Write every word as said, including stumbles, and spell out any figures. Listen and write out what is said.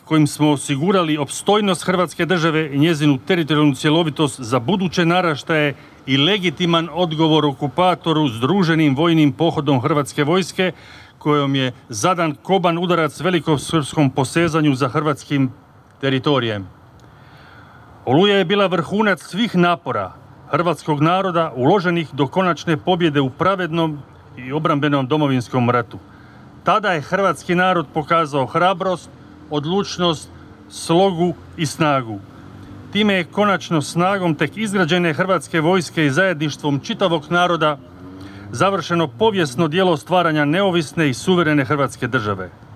kojim smo osigurali opstojnost Hrvatske države i njezinu teritorijalnu cjelovitost za buduće naraštaje i legitiman odgovor okupatoru združenim vojnim pohodom Hrvatske vojske, kojom je zadan koban udarac velikosrpskom posezanju za hrvatskim teritorijem. Oluja je bila vrhunac svih napora hrvatskog naroda uloženih do konačne pobjede u pravednom i obrambenom Domovinskom ratu. Tada je hrvatski narod pokazao hrabrost, odlučnost, slogu i snagu. Time je konačno snagom tek izgrađene Hrvatske vojske i zajedništvom čitavog naroda završeno povijesno djelo stvaranja neovisne i suverene Hrvatske države.